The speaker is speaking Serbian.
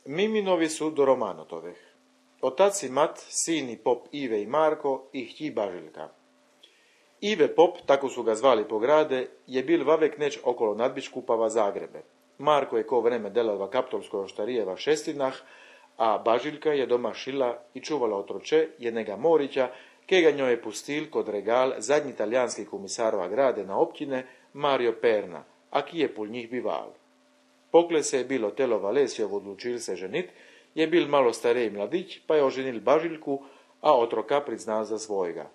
Miminovi su do Romanotoveh. Otac i mat, sini pop Ive i Marko i htji Bažiljka. Ive pop, tako su ga zvali po grade, je bil vavek neć okolo nadbiškupava Zagrebe. Marko je ko vreme delava kaptolskoj oštarijeva šestinah, a Bažiljka je doma šila i čuvala otroče jednega Morića, kega njoj je pustil kod regal zadnji italijanski komisarova grade na općine Mario Perna, a ki je pol njih bival. Pokle se je bilo telo Valesijov odlučil se ženit, je bil malo starej mladić, pa je oženil Bažiljku, a otroka priznal za svojega.